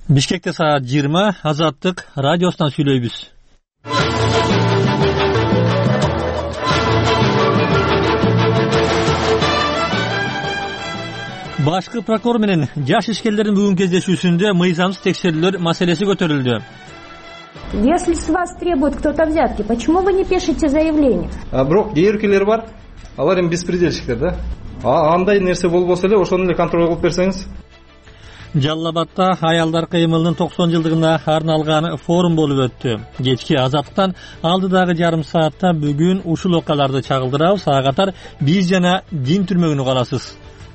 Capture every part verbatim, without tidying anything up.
Бишкекте саат жыйырма, Азаттык радиосунан сүйлөйбүз. Башкы прокурор менен жаш ишкерлердин бүгүнкү кездешүүсүндө мыйзамсыз текшерүүлөр маселеси көтөрүлдү. Если с вас требует кто-то взятки, почему вы не пишете заявление? А бирок кээ бар, алар эми беспредельщиктер да. А андай нерсе болбосо эле ошону эле контроль кылып берсеңиз. Жалал Абадта аялдар кыймылынын токсон жылдыгына арналган форум болуп өттү. Кечки Азаттыктан алдыдагы жарым саатта бүгүн ушул окуяларды чагылдырабыз. Ага катар биз жана дин түрмөгүнү карасыз.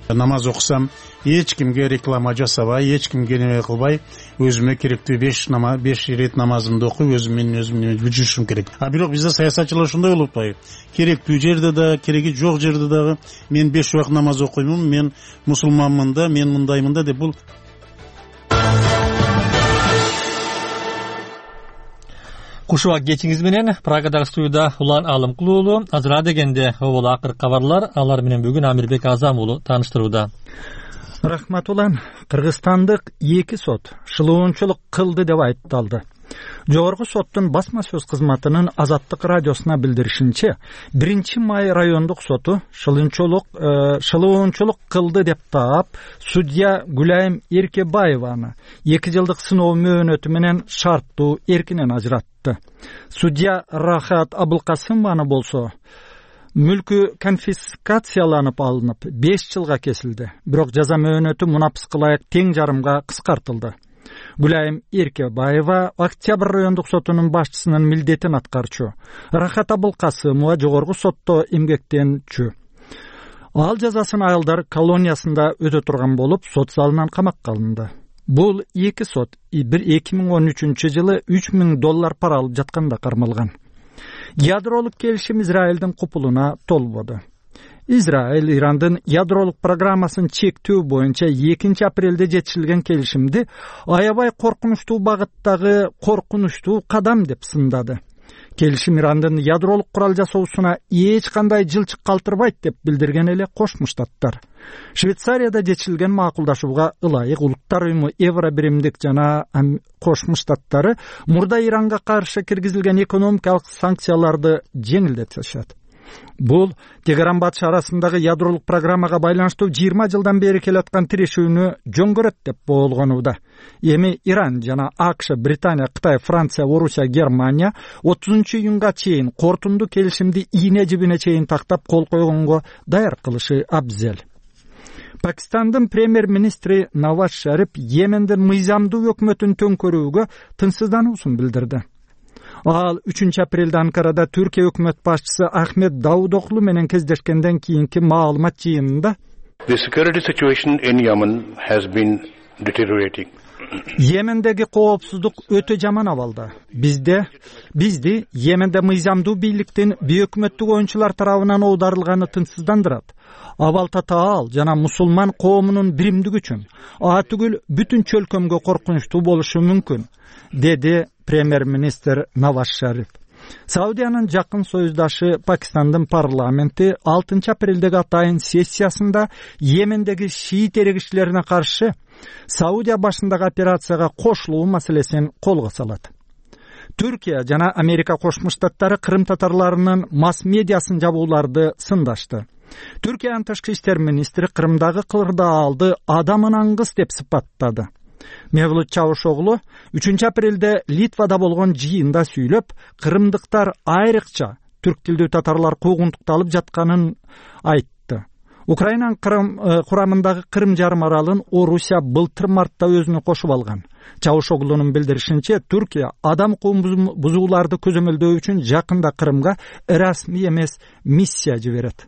Намаз окусам, эч кимге реклама жасабай, эч кимге неме кылбай, өзүмө керектүү беш намаз, беш ирет намазымды окуп, өзүм менен өзүм жүрүшүм керек. А бирок бизде саясатчылар ушундай болуп атпайбы? Керектүү жерде да, кереги жок жерде дагы мен беш убак намаз окуймун, мен мусулманмын да, мен мындаймын да деп бул. Кушубак кечиңиз менен Прагадагы студияда Улан Алымкул уулу, азыр дегенде обол акыр кабарлар, алар менен бүгүн Амирбек Азам уулу тааныштырууда. Рахмат Улан. Кыргызстандык эки сот шылуунчулук кылды деп айыпталды. Жогорку соттун басма сөз кызматынын Азаттык радиосуна билдиришинче, биринчи май райондук соту шылуунчулук шылуунчулук кылды деп таап, судья Гүлайым Эркебаеваны эки жылдык сыноо мөөнөтү менен шарттуу эркинен ажыратты. Судья Рахат Абылкасымованы болсо мүлкү конфискацияланып алынып беш жылга кесилди. Бирок жаза мөөнөтү мунапыска ылайык тең жарымга кыскартылды. Гүлайым Эркебаева Октябрь райондук сотунун башчысынын милдетин аткарчу. Рахат Абылкасымова жогорку сотто эмгектенчү. Ал жазасын аялдар колониясында өтө турган болуп, сот залынан камакка алынды. Бул эки сот эки миң он үчүнчү жылы үч миң доллар пара алып жатканда кармалган. Ядролук келишим Израилдин купулуна толбоду. Израиль Ирандын ядролук программасын чектөө боюнча экинчи апрелде жетишилген келишимди аябай коркунучтуу багыттагы коркунучтуу кадам деп сындады. Келишим Ирандын ядролук курал жасоосуна эч кандай жылчык калтырбайт деп билдирген эле Кошмо Штаттар. Швейцарияда жетишилген макулдашууга ылайык Улуттар уюму Евро биримдик жана Кошмо Штаттары мурда Иранга каршы киргизилген экономикалык санкцияларды жеңилдетишет. Бул Тегеран Батыш арасындагы ядролук программага байланыштуу жыйырма жылдан бери келаткан тирешүүнү жөнгөрөт деп болгонууда. Эми Иран жана АКШ, Британия, Кытай, Франция, Орусия, Германия отузунчу июнга чейин кортунду келишимди ийне жибине чейин тактап кол койгонго даяр кылышы абзел. Пакистандын премьер-министри Наваз Шариф Йемендин мыйзамдуу өкмөтүн төңкөрүүгө тынчсыздануусун билдирди. Ал үчүнчү апрелде Анкарада Түркия өкмөт башчысы Ахмед Давудоглу менен кездешкенден кийинки маалымат жыйынында The security situation in Yemen has been deteriorating. Йемендеги коопсуздук өтө жаман абалда. Бизде бизди Йеменде мыйзамдуу бийликтин бейөкмөттүк оюнчулар тарабынан оодарылганы тынчсыздандырат. Абал татаал жана мусулман коомунун биримдиги үчүн а түгүл бүтүн чөлкөмгө коркунучтуу болушу мүмкүн, деди премьер-министр Наваз Шариф. Саудиянын жакын союздашы Пакистандын парламенти алтынчы апрелдеги атайын сессиясында Йемендеги шиит эрегичилерине каршы Саудия башындагы операцияга кошулуу маселесин колго салат. Түркия жана Америка Кошмо Штаттары Кырым татарларынын масс-медиасын жабууларды сындашты. Түркиянын тышкы иштер министри Кырымдагы кырдаалды адамын аңгыс деп сыпаттады. Мевлут Чавушоглу үчүнчү апрелде Литвада болгон жыйында сүйлөп, кырымдыктар айрыкча түрк тилдүү татарлар куугунтукталып жатканын айтты. Украинанын курамындагы Кырым жарым аралын Орусия былтыр мартта өзүнө кошуп алган. Чавушоглунун билдиришинче, Түркия адам укугун бузууларды көзөмөлдөө үчүн жакында Кырымга расмий эмес миссия жиберет.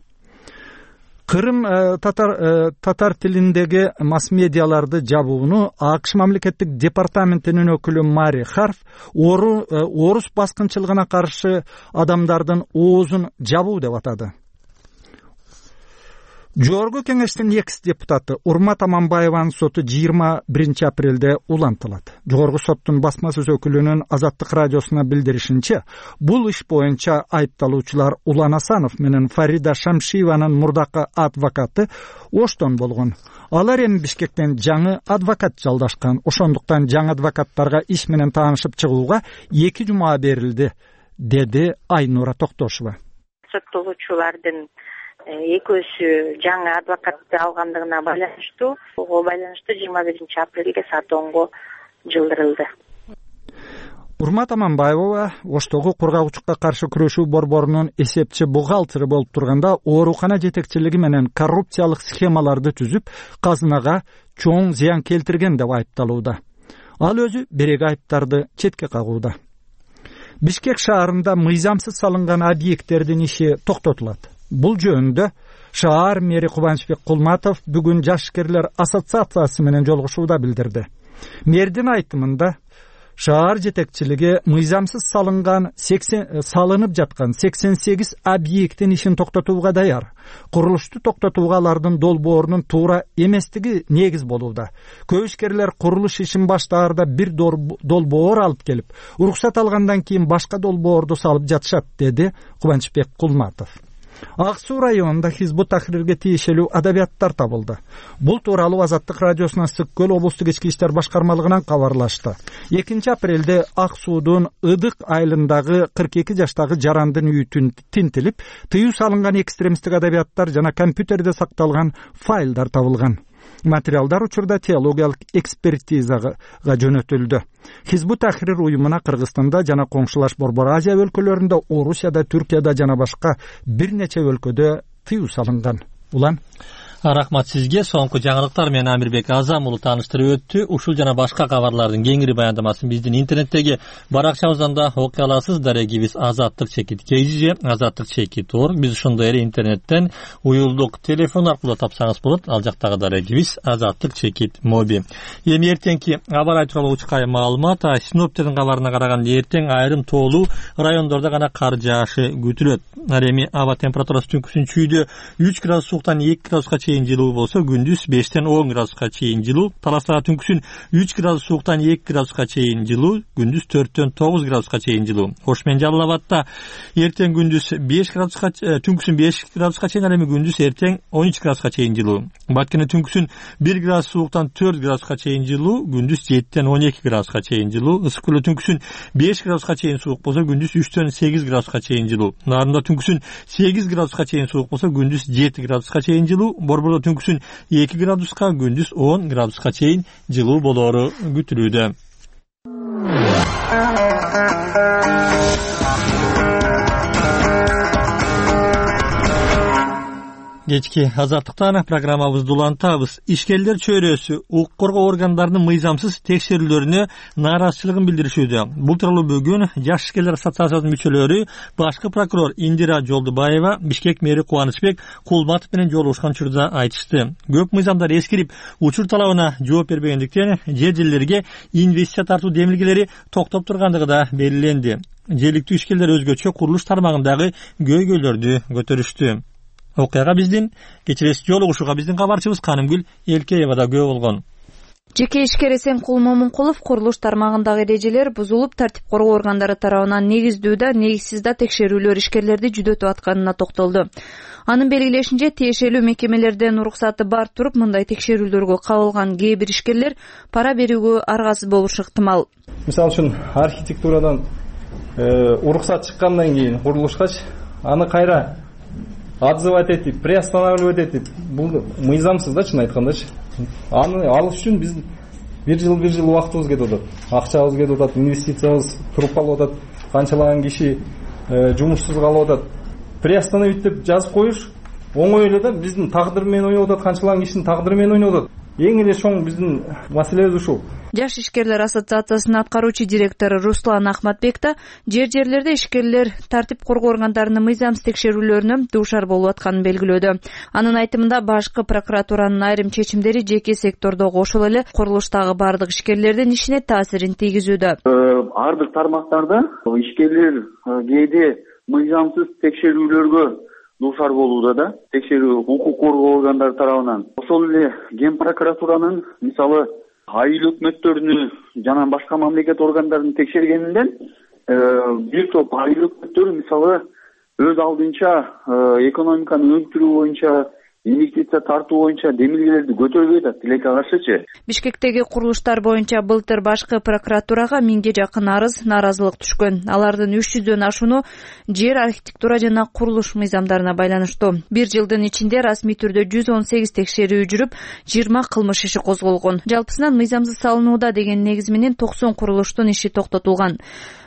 Кырым татар татар тилиндеги масс-медиаларды жабууну АКШ мамлекеттик департаментинин өкүлү Мари Харф орус баскынчылыгына каршы адамдардын оозун жабуу деп атады. Жогорку кеңештин экс депутаты Урмат Аманбаеванын соту жыйырма биринчи апрелде улантылат. Жогорку соттун басма сөз өкүлүнүн Азаттык радиосуна билдиришинче, бул иш боюнча айыпталуучулар Улан Асанов менен Фарида Шамшиеванын мурдакы адвокаты Оштон болгон. Алар эми Бишкектен жаңы адвокат жалдашкан. Ошондуктан жаңы адвокаттарга иш менен таанышып чыгууга эки жума берилди, деди Айнура Токтошова. Соттолуучулардын экөөсү жаңы адвокатты алгандыгына байланыштуу, ого байланыштуу жыйырма биринчи апрелге саат онго жылдырылды. Урмат Аманбаева Оштогу кургагучукка каршы күрөшүү борборунун эсепчи бухгалтери болуп турганда оорукана жетекчилиги менен коррупциялык схемаларды түзүп, казынага чоң зыян келтирген деп айыпталууда. Ал өзү берек айыптарды четке кагууда. Бишкек шаарында мыйзамсыз салынган объекттердин иши токтотулат. Бул жөнүндө шаар мэри Кубанычбек Кулматов бүгүн жашкерлер ассоциациясы менен жолугушууда билдирди. Мэрдин айтымында шаар жетекчилиги мыйзамсыз салынган сексен салынып жаткан сексен сегиз объекттин ишин токтотууга даяр. Курулушту токтотууга алардын долбоорунун туура эместиги негиз болууда. Көп ишкерлер курулуш ишин баштаарда бир долбоор алып келип, уруксат алгандан кийин башка долбоорду салып жатышат, деди Кубанычбек Кулматов. Ак Суу районунда Хизбут Тахрирге тиешелүү адабияттар табылды. Бул тууралуу Азаттык радиосуна Сык Көл облустук ички иштер башкармалыгынан кабарлашты. экинчи апрелде Ак Суудун Ыдык айылындагы кырк эки жаштагы жарандын үйү тинтилип, тыюу салынган экстремисттик адабияттар жана компьютерде сакталган файлдар табылган. Материалдар учурда теологиялык экспертизага жөнөтүлдү. Хизбут Тахрир уюмуна Кыргызстанда жана коңшулаш Борбор Азия өлкөлөрүндө, Орусияда, Түркияда жана башка бир нече өлкөдө тыюу салынган. Улан Рахмат сизге. Соңку жаңылыктар менен Амирбек Азам улу тааныштырып өттү. Ушул жана башка кабарлардын кеңири баяндамасын биздин интернеттеги баракчабыздан да окуй аласыз. Дарегибиз азаттык чекит kz, азаттык чекит org. Биз ошондой эле интернеттен уюлдук телефон аркылуу тапсаңыз болот. Ал жактагы дарегибиз азаттык чекит моби. Эми эртеңки аба рай тууралуу учкай маалымат. Синоптиктердин кабарына караганда эртең айрым тоолуу райондордо гана кар жаашы күтүлөт. Эми аба температурасы түнкүсүн чүйдө үч градус сууктан эки градуска чейин жылуу болсо, күндүз бештен он градуска чейин жылуу. Таласта түнкүсүн үч градус сууктан эки градуска чейин жылуу, күндүз төрттөн тогуз градуска чейин жылуу. Ош менен Жалал Абадта эртең күндүз беш градуска, түнкүсүн беш градуска чейин, эми күндүз эртең он үч градуска чейин жылуу. Баткене түнкүсүн бир градус сууктан төрт градуска чейин жылуу, күндүз жеттен он эки градуска чейин жылуу. Ысык көлдө түнкүсүн беш градуска чейин суук болсо, күндүз үчтөн сегиз градуска чейин жылуу. Нарында түнкүсүн сегиз градуска чейин суук болсо, күндүз жети градуска чейин жылуу. Борбордо түнкүсүн эки градуска, күндүз он градуска чейин жылуу болоору күтүлүүдө. Кечки азаттыктан программабызды улантабыз. Ишкерлер чөйрөсү укук коргоо органдарынын мыйзамсыз текшерүүлөрүнө нааразычылыгын билдиришүүдө. Бул тууралуу бүгүн Жаш ишкерлер ассоциациясынын мүчөлөрү башкы прокурор Индира Жолдубаева Бишкек мэри Кубанычбек Кулматов менен жолугушкан учурда айтышты. Көп мыйзамдар эскирип, учур талабына жооп бербегендиктен жер жерлерге инвестиция тартуу демилгелери токтоп тургандыгы да белгиленди. Жергиликтүү ишкерлер өзгөчө курулуш тармагындагы көйгөйлөрдү көтөрүштү. Окуяга биздин кечирес жолугушууга биздин кабарчыбыз Канымгүл Элкеева да күбө болгон. Жеке ишкер Эсенкул Момункулов курулуш тармагындагы эрежелер бузулуп, тартип коргоо органдары тарабынан негиздүү да, негизсиз да текшерүүлөр ишкерлерди жүдөтүп атканына токтолду. Анын белгилешинче, тиешелүү мекемелерден уруксаты бар туруп, мындай текшерүүлөргө кабылган кээ бир ишкерлер пара берүүгө аргасыз болушу ыктымал. Мисалы үчүн архитектурадан уруксат чыккандан кийин курулушкач аны кайра отзывать этип, приостанавливать этип, бул мыйзамсыз да, чын айткандачы. Аны алыш үчүн биз бир жыл бир жыл убактыбыз кетип атат. Акчабыз кетип атат, инвестициябыз туруп калып атат, канчалаган киши жумушсуз калып атат. Приостановить деп жазып коюш оңой эле да, биздин тагдыр менен ойноп атат, канчалаган кишинин тагдыры менен ойноп атат. Эң эле чоң биздин маселебиз ушул. Жаш ишкерлер ассоциациясынын аткаруучу директору Руслан Ахматбек да жер жерлерде ишкерлер тартип коргоо органдарынын мыйзамсыз текшерүүлөрүнө дуушар болуп атканын белгилөөдө. Анын айтымында башкы прокуратуранын айрым чечимдери жеке сектордогу ошол эле курулуштагы бардык ишкерлердин ишине таасирин тийгизүүдө. Ар бир тармактарда ишкерлер кээде мыйзамсыз текшерүүлөргө дуушар болууда да текшерүү укук коргоо органдары тарабынан. Ошол эле Ген прокуратуранын мисалы айыл өкмөттөрүнү жана башка мамлекет органдарын текшергенинден бир топ айыл өкмөттөрү мисалы өз алдынча экономиканы өндүрүү боюнча инвестиция тартуу боюнча демилгелерди көтөрбөй атат тилекке каршычы. Бишкектеги курулуштар боюнча былтыр башкы прокуратурага миңге жакын арыз, нааразылык түшкөн. Алардын үч жүздөн ашууну жер, архитектура жана курулуш мыйзамдарына байланыштуу. Бир жылдын ичинде расмий түрдө жүз он сегиз текшерүү жүрүп, жыйырма кылмыш иши козголгон. Жалпысынан мыйзамсыз салынууда деген негиз менен токсон курулуштун иши токтотулган.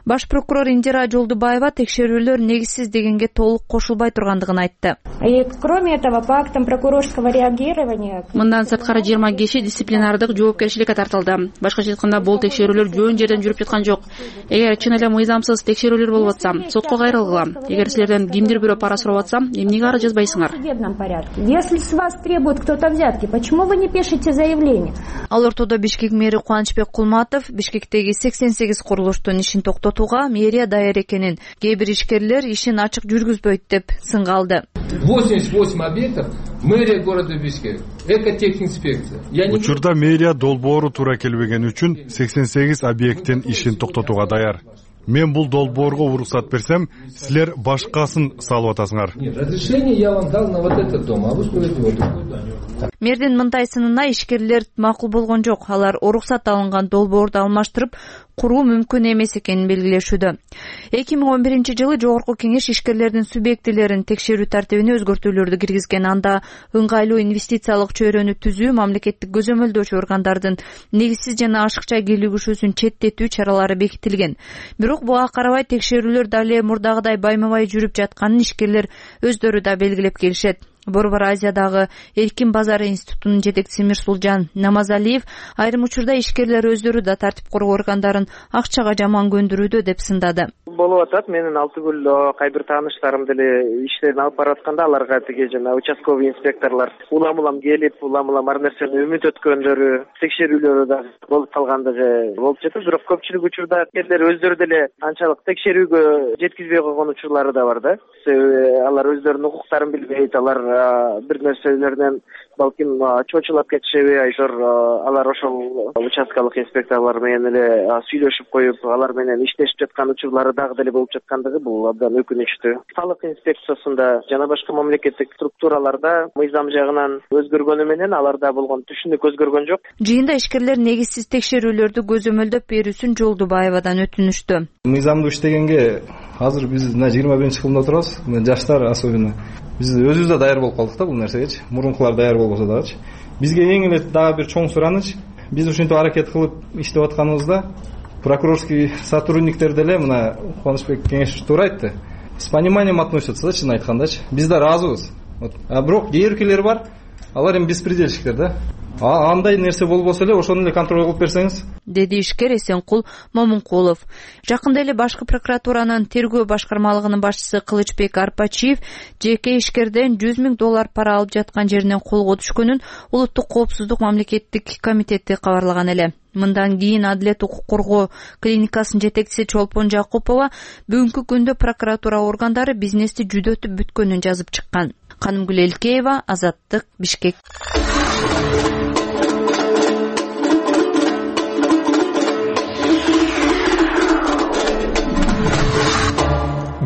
Баш прокурор Индира Жолдубаева текшерүүлөр негизсиз дегенге толук кошулбай тургандыгын айтты. И кроме этого, по актам прокурорского реагирования... Мындан сырткары жыйырма киши дисциплинардык жоопкерчиликке тартылды. Башкача айтканда, бул текшерүүлөр жөн жерден жүрүп жаткан жок. Эгер чын эле мыйзамсыз текшерүүлөр болуп атса, сотко кайрылгыла. Эгер силерден кимдир бирөө пара сурап атса, эмнеге арыз жазбайсыңар? В судебном порядке. Если с вас требует кто-то взятки, почему вы не пишете заявление? Ал ортодо Бишкек мэри Кубанычбек Кулматов Бишкектеги сексен сегиз курулуштун ишин токтотууга мэрия даяр экенин, кээ бир ишкерлер ишин ачык жүргүзбөйт деп сынга алды. восемьдесят восемь объектов мэрия города Бишкек, экотехинспекция. Учурда мэрия долбоору туура келбеген үчүн сексен сегиз объекттин ишин токтотууга даяр. Мен бул долбоорго уруксат берсем, силер башкасын салып атасыңар. Нет, разрешение я вам дал на вот этот дом, а вы строите вот такой дом. Мэрдин мындай сынына ишкерлер макул болгон жок. Алар уруксат алынган долбоорду алмаштырып, куруу мүмкүн эмес экенин белгилешүүдө. эки миң он биринчи жылы Жогорку Кеңеш ишкерлердин субъектилерин текшерүү тартибине өзгөртүүлөрдү киргизген. Анда ыңгайлуу инвестициялык чөйрөнү түзүү, мамлекеттик көзөмөлдөөчү органдардын негизсиз жана ашыкча кийлигишүүсүн четтетүү чаралары бекитилген. Бирок буга карабай текшерүүлөр дале мурдагыдай байма-бай жүрүп жатканын ишкерлер өздөрү да белгилеп келишет. Борбор Азиядагы Эркин базары институтунун жетекчиси Мирсулжан Намазалиев айрым учурда ишкерлер өздөрү да тартип коргоо органдарын акчага жаман көндүрүүдө деп сындады. Болуп атат. Менин Алтыгүл кайбир тааныштарым деле иштерин алып баратканда аларга тиги жана участковый инспекторлор улам-улам келип, улам-улам ар нерсени үмүт өткөндөрү, текшерүүлөрү да болуп калгандыгы болуп жатат. Бирок көпчүлүк учурда ишкерлер өздөрү деле анчалык текшерүүгө жеткизбей койгон учурлары да бар да. Алар өздөрүнүн укуктарын билбейт, алар бир нерселерден балким чочулап кетишеби, айшор алар ошол участкалык инспекторлор менен эле сүйлөшүп коюп, алар менен иштешип жаткан учурлары дагы деле болуп жаткандыгы бул абдан өкүнүчтүү. Салык инспекциясында жана башка мамлекеттик структураларда мыйзам жагынан өзгөргөнү менен аларда болгон түшүнүк өзгөргөн жок. Жыйында ишкерлер негизсиз текшерүүлөрдү көзөмөлдөп берүүсүн Жолдубаевадан өтүнүштү. Мыйзамдуу иштегенге азыр биз мына жыйырма биринчи кылымда турабыз. Жаштар особенно биз өзүбүз да даяр болуп калдык да бул нерсегечи. Мурункулар даяр болбосо дагычы. Бизге эң эле дагы бир чоң сураныч, биз ушинтип аракет кылып иштеп атканыбызда прокурорский сотрудниктер деле мына Кубанычбек Кеңешович туура айтты. С пониманием относятся да, чын айткандачы. Биз да разыбыз. А бирок кээ бар, алар эми беспредельщиктер да. А андай нерсе болбосо эле ошону эле контроль кылып берсеңиз, деди ишкер Эсенкул Момункулов. Жакында эле башкы прокуратуранын тергөө башкармалыгынын башчысы Кылычбек Арпачиев жеке ишкерден жүз миң доллар пара алып жаткан жеринен колго түшкөнүн Улуттук коопсуздук мамлекеттик комитети кабарлаган эле. Мындан кийин Адилет укук коргоо клиникасынын жетекчиси Чолпон Жакупова бүгүнкү күндө прокуратура органдары бизнести жүдөтүп бүткөнүн жазып чыккан. Канымгүл Элкеева, Азаттык, Бишкек.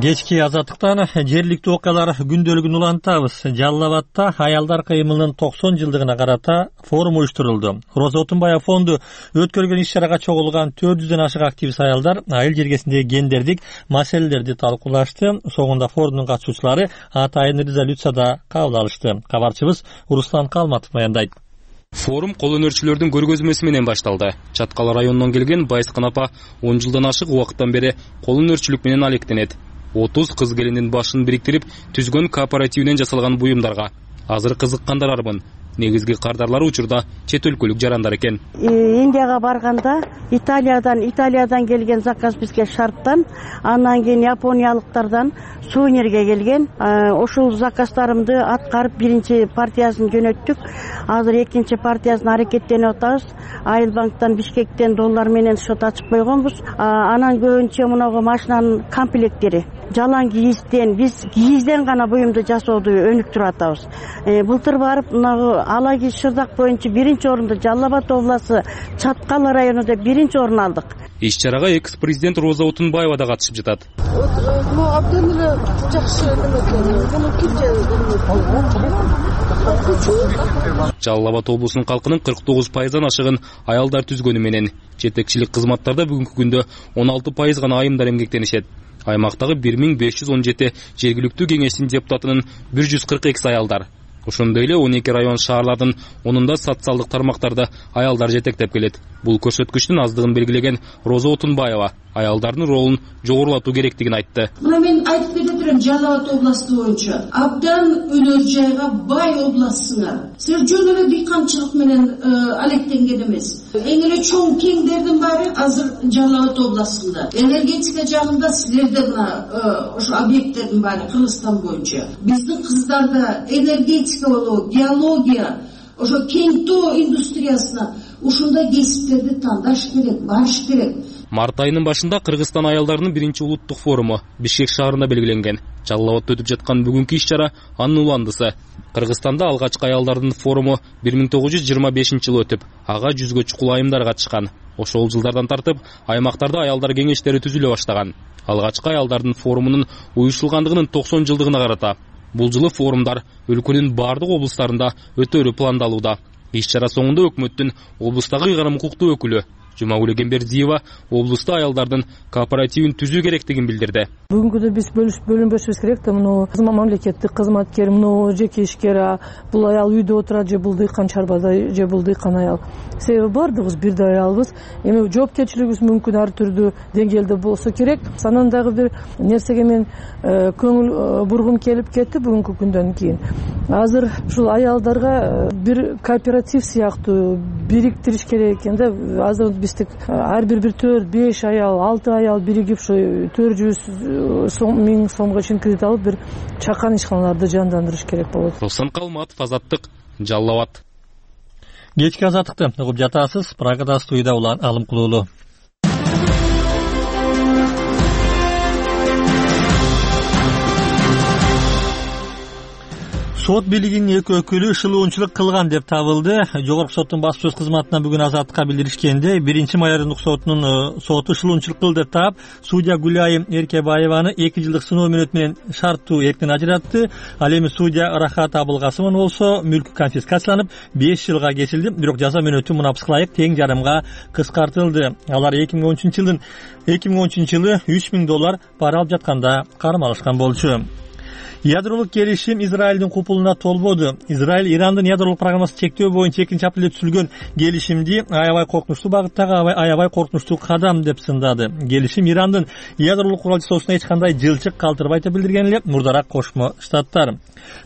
Кечки Азаттыктан жергиликтүү окуялар күндөлүгүн улантабыз. Жалал Абадта аялдар кыймылынын токсон жылдыгына карата форум уюштурулду. Роза Отунбаева фонду өткөрүлгөн иш-чарага чогулган төрт жүздөн ашык активист аялдар айыл жергесиндеги гендердик маселелерди талкуулашты. Согунда форумдун катышуучулары атайын резолюцияда кабыл алышты. Кабарчыбыз Руслан Калматов баяндайт. Форум кол өнөрчүлөрдүн көргөзмөсү менен башталды. Чаткал районунан келген Байскын апа он жылдан ашык убакыттан бери кол өнөрчүлүк менен алектенет. отуз кыз келиндин башын бириктирип түзгөн кооперативинен жасалган буюмдарга азыр кызыккандар арбын. негизги кардарлары учурда чет өлкөлүк жарандар экен. Индияга барганда Италиядан Италиядан келген заказ бизге шарттан, андан кийин япониялыктардан сувенирге келген. Ошол заказдарымды аткарып биринчи партиясын жөнөттүк. Азыр экинчи партиясын аракеттенип атабыз. Айылбанктан Бишкектен доллар менен счет ачып койгонбуз. Анан көбүнчө мунагу машинанын комплектери жалаң кийизден, биз кийизден гана буюмду жасооду өнүктүрүп атабыз. Былтыр барып мынагу ала кийиз Шырдак боюнча биринчи орунду, Жалал Абад областы Чаткал районунда биринчи орун алдык. Иш чарага экс-президент Роза Отунбаева да катышып жатат. Абдан эле жакшы Жалал Абад облусунун калкынын кырк тогуз пайыздан ашыгын аялдар түзгөнү менен жетекчилик кызматтарда бүгүнкү күндө он алты пайыз гана айымдар эмгектенишет. Аймактагы бир миң беш жүз он жети жергиликтүү кеңештин депутатынын бир жүз кырк экиси аялдар. Ошондой эле он эки район шаарлардын онунда социалдык тармактарды аялдар жетектеп келет. Бул көрсөткүчтүн аздыгын белгилеген Роза Отунбаева аялдардын ролун жогорулатуу керектигин айтты. Мына мен айтып кете турам, Жалал Абад областы боюнча абдан өнөр жайга бай областсыңар. Силер жөн эле дыйканчылык менен алектенген эмес. Эң эле чоң кеңдердин баары азыр Жалал Абад областында. Энергетика жагында силерде мына ошо объекттердин баары Кыргызстан боюнча. Биздин кыздарда энергетика болобу, геология, ошо кең тоо индустриясына ушундай кесиптерди тандаш керек, барыш керек. Март айынын башында Кыргызстан аялдарынын биринчи улуттук форуму Бишкек шаарында белгиленген. Жалал Абадта өтүп жаткан бүгүнкү иш чара анын уландысы. Кыргызстанда алгачкы аялдардын форуму бир миң тогуз жүз жыйырма бешинчи жылы өтүп, ага жүзгө чукул айымдар катышкан. Ошол жылдардан тартып аймактарда аялдар кеңештери түзүлө баштаган. Алгачкы аялдардын форумунун уюштурулгандыгынын токсон жылдыгына карата бул жылы форумдар өлкөнүн бардык облустарында өтөрү пландалууда. Иш чара соңунда өкмөттүн облустагы ыйгарым укуктуу өкүлү Жумагүл Эгембердиева облуста аялдардын кооперативин түзүү керектигин билдирди. Бүгүнкү биз бөлүнбөшүбүз керек да, муну мамлекеттик кызматкер, муну жеке ишкер, бул аял үйдө отурат же бул дыйкан чарбада же бул дыйкан аял. Себеби бардыгыбыз бирдей аялбыз. Эми жоопкерчилигибиз мүмкүн ар түрдүү деңгээлде болсо керек. Анан дагы бир нерсеге мен көңүл бургум келип кетти бүгүнкү күндөн кийин. Азыр ушул аялдарга бир кооператив сыяктуу бириктириш керек экен да. Азыр биздик ар бир бир төрт, беш аял, алты аял биригип ушу төрт жүз миң сомго чейин кредит алып бир чакан ишканаларды жандандырыш керек болот. Руслан Калматов, Азаттык, Жалал Абад. Кечки азаттыкты угуп жатасыз. Прагада студияда улан Алым Кулуулу. Сот бийлигинин эки өкүлү шылуунчулук кылган деп табылды. Жогорку соттун басма сөз кызматына бүгүн Азаттыкка билдиришкенде, биринчи майордук сотунун соту шылуунчулук кылды деп таап, судья Гүлайым Эркебаеваны эки жылдык сыноо мөөнөтү менен шарттуу эрктен ажыратты. Ал эми судья Рахат Абылкасымовна болсо мүлкү конфискацияланып беш жылга кесилди. Бирок жаза мөөнөтү мунапсыга ылайык тең жарымга кыскартылды. Алар эки миң он үчүнчү жылдын эки миң он үчүнчү жылы үч миң доллар пара алып жатканда кармалышкан болчу. Ядролук келишим Израилдин купулуна толбоду. Израиль Ирандын ядролук программасын чектөө боюнча экинчи апрелде түзүлгөн келишимди аябай коркунучтуу багыттагы аябай коркунучтуу кадам деп сындады. Келишим Ирандын ядролук курал жасоосуна эч кандай жылчык калтырбайт деп билдирген эле мурдараак Кошмо Штаттар.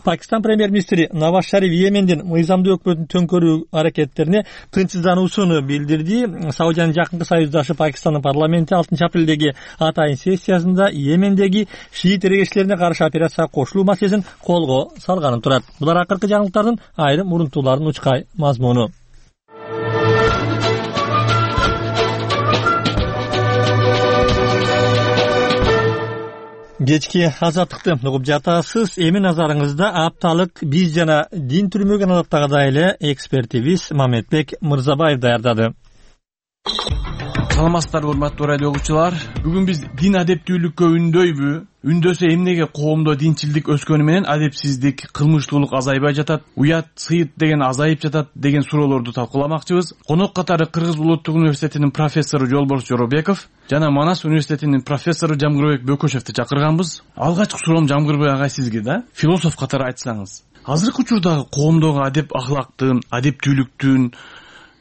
Пакистан премьер-министри Наваз Шариф Йемендин мыйзамдуу өкмөтүн төңкөрүү аракеттерине тынчсыздануусун билдирди. Саудиянын жакынкы союздашы Пакистандын парламенти алтынчы апрелдеги атайын сессиясында Йемендеги шиит эрегечилерине каршы операция кошулуу маселесин колго салганын турат. Булар акыркы жаңылыктардын айрым мурунтуулардын учкай мазмуну. Кечки азаттыкты угуп жатасыз. Эми назарыңызда апталык биз жана дин түрмөгөн адаттагыдай эле экспертибиз Мамедбек Мырзабаев даярдады. Саламатсыздарбы, урматтуу радио угуучулар. Бүгүн биз дин адептүүлүккө үндөйбү? Үндөсө эмнеге коомдо динчилдик өскөнү менен адепсиздик, кылмыштуулук азайбай жатат, уят, сыйыт деген азайып жатат деген суроолорду талкууламакчыбыз. Конок катары Кыргыз улуттук университетинин профессору Жолборс Жоробеков жана Манас университетинин профессору Жамгырбек Бөкөшевди чакырганбыз. Алгачкы суроом Жамгырбек агай сизге да, философ катары айтсаңыз. Азыркы учурдагы коомдогу адеп ахлактын, адептүүлүктүн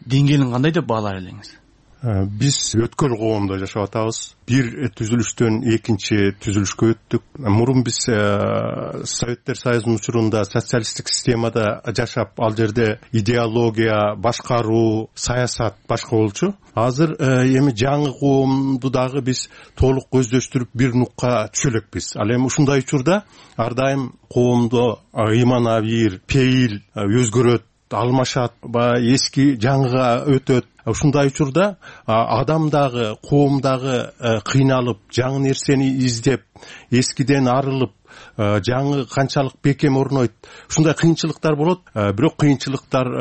деңгээлин кандай деп баалар элеңиз? Биз өткөл коомдо жашап атабыз. Бир түзүлүштөн экинчи түзүлүшкө өттүк. Мурун биз Советтер Союзунун учурунда социалисттик системада жашап, ал жерде идеология, башкаруу, саясат башка болчу. Азыр эми жаңы коомду дагы биз толук көздөштүрүп бир нукка түшө элекпиз. Ал эми ушундай учурда ар дайым коомдо ыйман абийир, пейил өзгөрөт, алмашат, баягы эски жаңыга өтөт. Ушундай учурда адам дагы, коом дагы кыйналып, жаңы нерсени издеп, эскиден арылып, жаңы канчалык бекем орнойт. Ушундай кыйынчылыктар болот, бирок кыйынчылыктар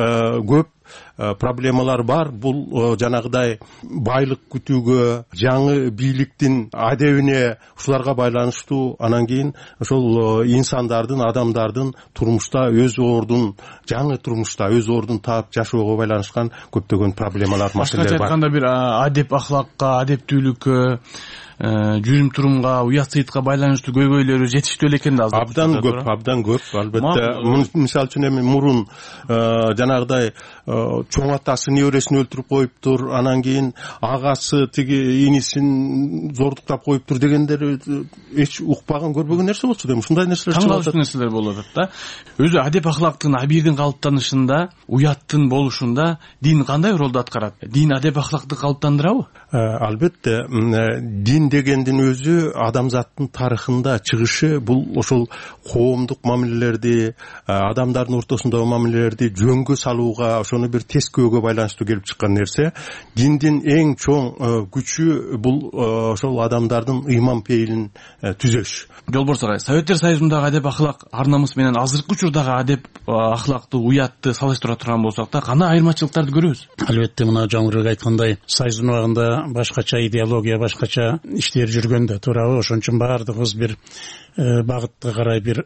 көп, проблемалар бар. Бул жанагыдай байлык күтүүгө, жаңы бийликтин адебине, ушуларга байланыштуу. Анан кийин ошол инсандардын, адамдардын турмушта өз ордун, жаңы турмушта өз ордун таап жашоого байланышкан көптөгөн проблемалар, маселелер бар. Башкача айтканда бир адеп ахлакка, адептүүлүккө, жүрүм турумга, уят сыйытка байланыштуу көйгөйлөрү жетиштүү эле экен да азыр. Абдан көп, абдан көп. Албетте, мисалы үчүн эми мурун жанагыдай чоң атасы небересин өлтүрүп коюптур, анан кийин агасы тиги инисин зордуктап коюптур дегендер эч укпаган, көрбөгөн нерсе болчу дейм. Ушундай нерселер чыгып атат. Нерселер болуп атат да. Өзү адеп ахлактын, абийирдин калыптанышында, уяттын болушунда дин кандай ролду аткарат? Дин адеп ахлакты калыптандырабы? Албетте, дин дегендин өзү адамзаттын тарыхында чыгышы бул ошол коомдук мамилелерди, адамдардын ортосундагы мамилелерди жөнгө салууга, ошону бир тескөөгө байланыштуу келип чыккан нерсе. Диндин эң чоң күчү бул ошол адамдардын ыйман пейилин түзөш. Жолборс агай, Советтер Союзундагы адеп ахлак ар намыс менен азыркы учурдагы адеп ахлакты, уятты салыштыра турган болсок да, кандай айырмачылыктарды көрөбүз? Албетте, мына жаңырык айткандай, Союздун убагында башкача идеология, башкача иштер жүргөн да, туурабы? Ошон үчүн баардыгыбыз бир багытка карай бир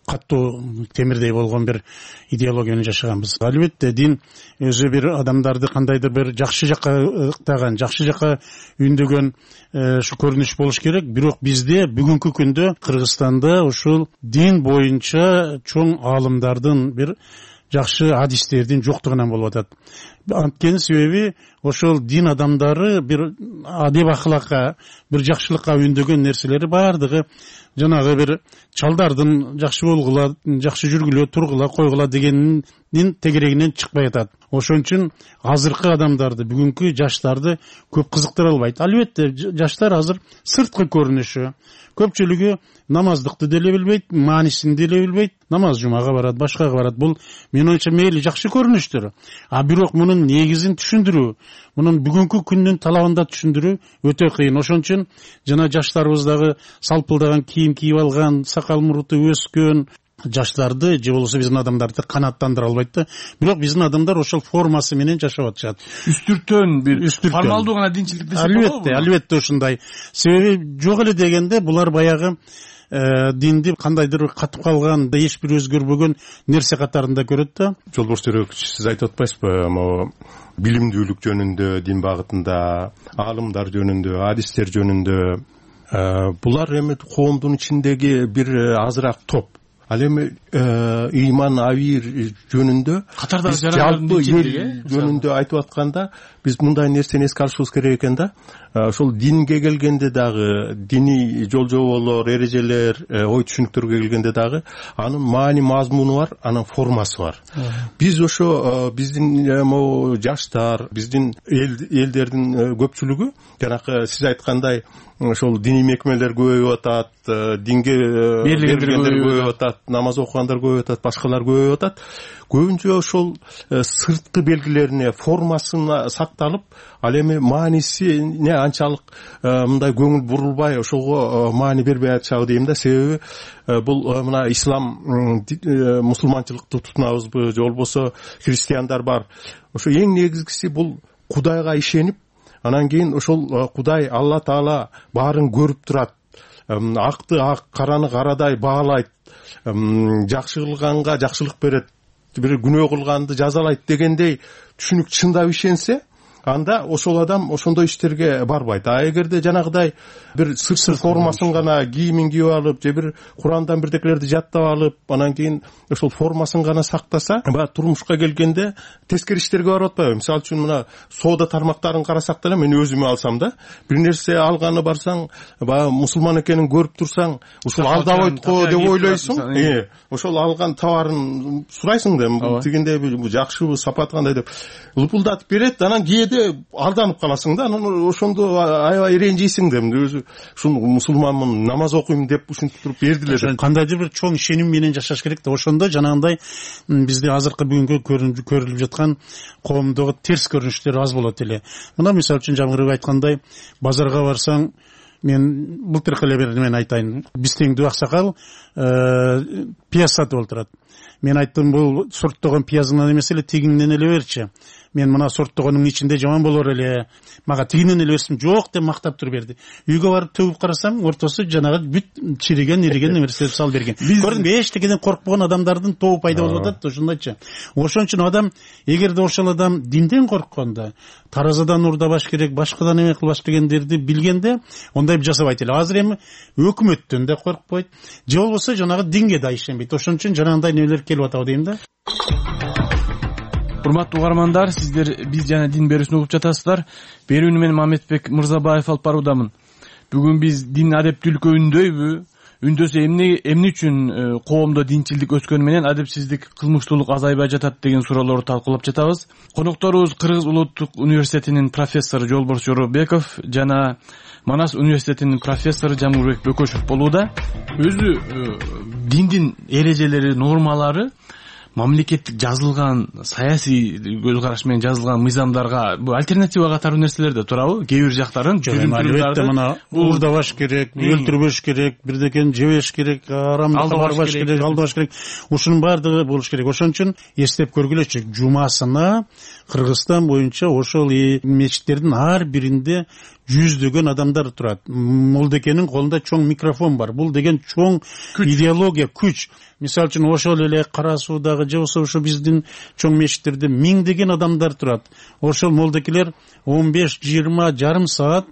каттуу темирдей болгон бир идеология менен жашаганбыз. Албетте, дин өзү бир адамдарды кандайдыр бир жакшы жакка ыктаган, жакшы жакка үндөгөн ушу көрүнүш болуш керек. Бирок бизде бүгүнкү күндө Кыргызстанда ушул дин боюнча чоң аалымдардын бир жакшы адистердин жоктугунан болуп атат. Анткени себеби ошол дин адамдары бир адеп ахлакка, бир жакшылыкка үндөгөн нерселери баардыгы жанагы бир чалдардын жакшы болгула, жакшы жүргүлө, тургула, койгула дегендин тегерегинен чыкпай атат. Ошон үчүн азыркы адамдарды, бүгүнкү жаштарды көп кызыктыра албайт. Албетте, жаштар азыр сырткы көрүнүшү, көпчүлүгү намаздыкты деле билбейт, маанисин деле билбейт, намаз жумага барат, башкага барат. Бул мен оюмча мейли жакшы көрүнүштөр. А бирок мунун негизин түшүндүрүү, мунун бүгүнкү күндүн талабында түшүндүрүү өтө кыйын. Ошон үчүн жана жаштарыбыз дагы салпылдаган кийим кийип алган, сакал муруту өскөн жаштарды же болбосо биздин адамдарды канааттандыра албайт да. Бирок биздин адамдар ошол формасы менен жашап атышат. Үстүртөн бир формалдуу гана динчилик десек болобу? Албетте, албетте ушундай. Себеби жок эле дегенде булар баягы динди кандайдыр катып калган, эч бир өзгөрбөгөн нерсе катарында көрөт да. Жолборс Төрөкүч, сиз айтып атпайсызбы, могу билимдүүлүк жөнүндө, дин багытында, аалымдар жөнүндө, адистер жөнүндө? Булар эми коомдун ичиндеги бир азыраак топ. Ал эми ыйман абийир жөнүндө, жалпы эл жөнүндө айтып атканда, биз мындай нерсени эске алышыбыз керек экен да. Ошол динге келгенде дагы, диний жол-жоболор, эрежелер, ой түшүнүктөргө келгенде дагы анын маани мазмуну бар, анын формасы бар. Биз ошо биздин могу жаштар, биздин элдердин көпчүлүгү жанакы сиз айткандай ошол диний мекемелер көбөйүп атат, динге бергендер көбөйүп атат, намаз окугандар көбөйүп атат, башкалар көбөйүп атат. Көбүнчө ошол сырткы белгилерине, формасына сакталып, ал эми маанисине анчалык мындай көңүл бурулбай, ошого маани бербей атышабы дейм да. Себеби бул мына ислам, мусулманчылыкты тутунабызбы, же болбосо христиандар бар. Ошо эң негизгиси бул Кудайга ишенип, анан кийин ошол Кудай, Алла Таала баарын көрүп турат. Акты ак, караны карадай баалайт. Жакшы кылганга жакшылык берет, бир күнөө кылганды жазалайт дегендей түшүнүк чындап ишенсе, анда ошол адам ошондой иштерге барбайт. А эгерде жанагыдай бир сыртсыз формасын гана кийимин кийип алып же бир Курандан бирдекелерди жаттап алып анан кийин ошол формасын гана сактаса, баягы турмушка келгенде тескери иштерге барып атпайбы? Мисалы үчүн мына соода тармактарын карасак деле, мен өзүмө алсам да, бир нерсе алганы барсаң, баягы мусулман экенин көрүп турсаң, ушул алдабайт го деп ойлойсуң. Э, ошол алган товарын сурайсың да, тигиндей жакшыбы, сапаты кандай деп лупулдатып берет, анан кээде алданып каласың да, анан ошондо аябай ренжийсиң да. Өзү ушул мусулманмын, намаз окуйм деп ушинтип туруп бердиле деп. Кандайдыр бир чоң ишеним менен жашаш керек да. Ошондо жанагындай бизде азыркы бүгүнкү көрүлүп жаткан коомдогу терс көрүнүштөр аз болот эле. Мына мисалы үчүн Жамгырбек айткандай, базарга барсаң, мен былтыркы эле бир мен айтайын, Бистеңдүү аксакал пияз сатып олтурат. Мен айттым, бул сорттогон пиязыңдан эмес эле тигиңден эле берчи. Мен мына сорттогонун ичинде жаман болор эле, мага тигинен эле берсин, жок деп мактап туруп берди. Үйгө барып төгүп карасам, ортосу жанагы бүт чириген, ириген нерселерди салып берген. Көрдүңбү, эчтекеден коркпогон адамдардын тобу пайда болуп атат, ошондойчу. Ошон үчүн адам, эгерде ошол адам динден корккондо, таразадан урдабаш керек, башкадан эме кылбаш дегендерди билгенде, ондай жасабайт эле. Азыр эми өкмөттөн да коркпойт, же болбосо жанагы динге да ишенбейт. Ошон үчүн жанагындай нелер келип атабы дейм да. Урматтуу угармандар, сиздер биз жана дин берүүсүн угуп жатасыздар. Берүүнү мен Мамедбек Мырзабаев алып баруудамын. Бүгүн биз дин адептүүлүккө үндөйбү? Үндөсө эмне эмне үчүн коомдо динчилдик өскөнү менен адепсиздик, кылмыштуулук азайбай жатат деген суроолорду талкуулап жатабыз. Конокторубуз Кыргыз Улуттук университетинин профессору Жолборс Жоробеков жана Манас университетинин профессору Жамгырбек Бөкөшев болууда. Өзү диндин эрежелери, нормалары мамлекеттик жазылган саясий көз караш менен жазылган мыйзамдарга бул альтернатива катары нерселер да турабы? Кээ бир жактарын албетте мына уурдабаш керек, өлтүрбөш керек, бирдекени жебеш керек, арамдыкка барбаш керек, алдабаш керек. Ушунун баардыгы болуш керек. Ошон үчүн эстеп көргүлөчү, жумасына Кыргызстан боюнча ошол мечиттердин ар биринде жүздөгөн адамдар турат. Молдекенин колунда чоң микрофон бар. Бул деген чоң идеология, күч. Мисалы үчүн ошол эле Кара Суудагы же болбосо ошо биздин чоң мечиттерде миңдеген адамдар турат. Ошол молдекелер он беш жыйырма жарым саат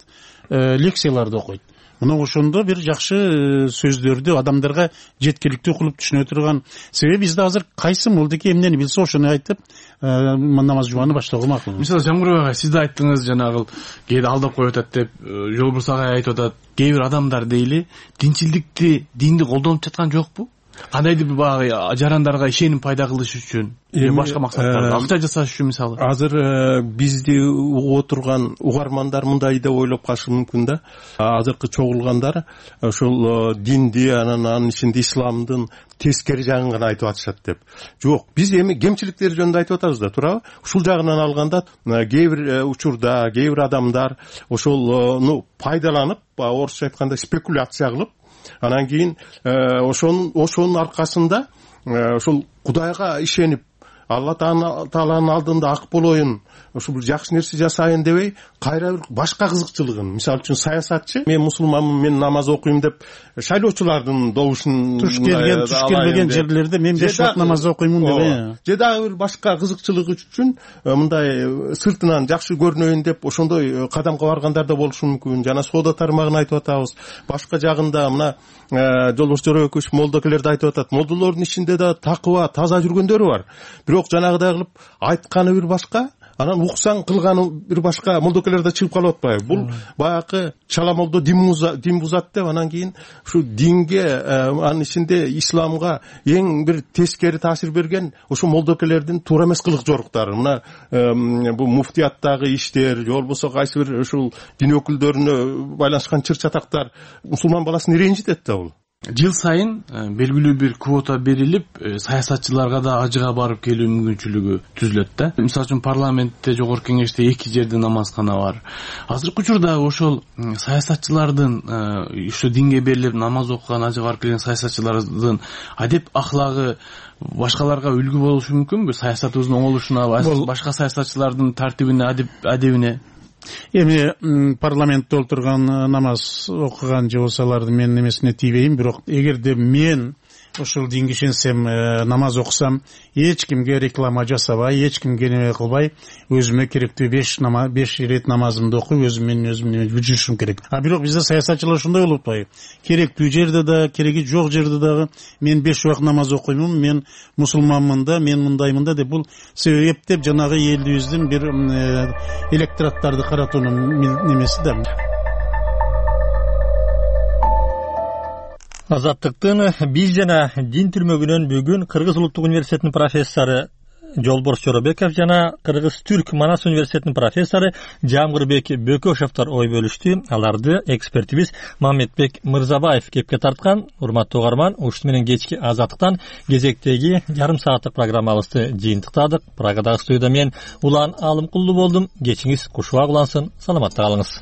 лекцияларды окуйт. Мына ошондо бир жакшы сөздөрдү адамдарга жеткиликтүү кылып түшүнө турган. Себеби бизде азыр кайсы молдеке эмнени билсе ошону айтып, намаз жуманы баштоого макул. Мисалы Жамгырбек ага, сиз да айттыңыз, жанагы кээде алдап коюп атат деп, Жолборс ага айтып атат. Кээ бир адамдар дейли, динчилдикти, динди колдонуп жаткан жокпу? Кандайдыр бир баягы жарандарга ишеним пайда кылыш үчүн, же башка максаттарда, акча жасаш үчүн мисалы. Азыр бизди угуп отурган угармандар мындай деп ойлоп калышы мүмкүн да. Азыркы чогулгандар ошол динди, анан анын ичинде исламдын тескери жагын гана айтып атышат деп. Жок, биз эми кемчиликтер жөнүндө айтып атабыз да, туурабы? Ушул жагынан алганда кээ бир учурда кээ бир адамдар ошолну пайдаланып, орусча айтканда спекуляция кылып, анан кийин ошонун ошонун аркасында ошол Кудайга ишенип, Алла Тааланын алдында ак болоюн, ошо бир жакшы нерсе жасайын дебей, кайра бир башка кызыкчылыгын, мисалы үчүн саясатчы, мен мусулманмын, мен намаз окуйм деп шайлоочулардын добушун туш келген, туш келбеген жерлерде мен беш вакыт намаз окуймун деп, же дагы бир башка кызыкчылыгы үчүн мындай сыртынан жакшы көрүнөйүн деп ошондой кадамга баргандар да болушу мүмкүн. Жана соода тармагын айтып атабыз. Башка жагында мына Жолборс Жоробеков молдокелерди айтып атат. Молдолордун ичинде да такыба, таза жүргөндөр бар. Бирок жанагыдай кылып айтканы бир башка, анан уксаң кылганы бир башка, молдокелер да чыгып калып атпайбы? Бул баягы чала молдо дин бузат деп, анан кийин ушу динге, анын ичинде исламга эң бир тескери таасир берген ошо молдокелердин туура эмес кылык жоруктары. Мына бул муфтияттагы иштер, же болбосо кайсы бир ушул дин өкүлдөрүнө байланышкан чыр чатактар мусулман баласын ренжитет да бул. Жыл сайын белгилүү бир квота берилип, саясатчыларга да ажыга барып келүү мүмкүнчүлүгү түзүлөт да. Мисалы үчүн парламентте, жогорку кеңеште эки жерде намазкана бар. Азыркы учурда ошол саясатчылардын, ушу динге берилип намаз окуган, ажыга барып келген саясатчылардын адеп ахлагы башкаларга үлгү болушу мүмкүнбү? Саясатыбыздын оңолушуна, башка саясатчылардын тартибине, адебине. Эми парламентте отурган намаз окуган же болсо алардын менин эмесине тийбейм, бирок эгерде мен ушул динге ишенсем, намаз окусам, эч кимге реклама жасабай, эч кимге неме кылбай, өзүмө керектүү беш намаз, беш ирет намазымды окуп, өзүм менен өзүм жүрүшүм керек. А бирок бизде саясатчылар ушундай болуп атпайбы? Керектүү жерде да, кереги жок жерде дагы мен беш убакыт намаз окуймун, мен мусулманмын да, мен мындаймын да деп, бул себептеп жанагы элибиздин бир электораттарды каратуунун немеси да. Азаттыктын биз жана дин түрмөгүнөн бүгүн Кыргыз улуттук университетинин профессору Жолборс Жоробеков жана Кыргыз Түрк Манас университетинин профессору Жамгырбек Бөкөшовдор ой бөлүштү. Аларды экспертибиз Мамедбек Мырзабаев кепке тарткан. Урматтуу угарман, ушуну менен кечки Азаттыктан кезектеги жарым сааттык программабызды жыйынтыктадык. Прагадагы студияда мен Улан Алымкулду болдум. Кечиңиз кушубак улансын. Саламатта калыңыз.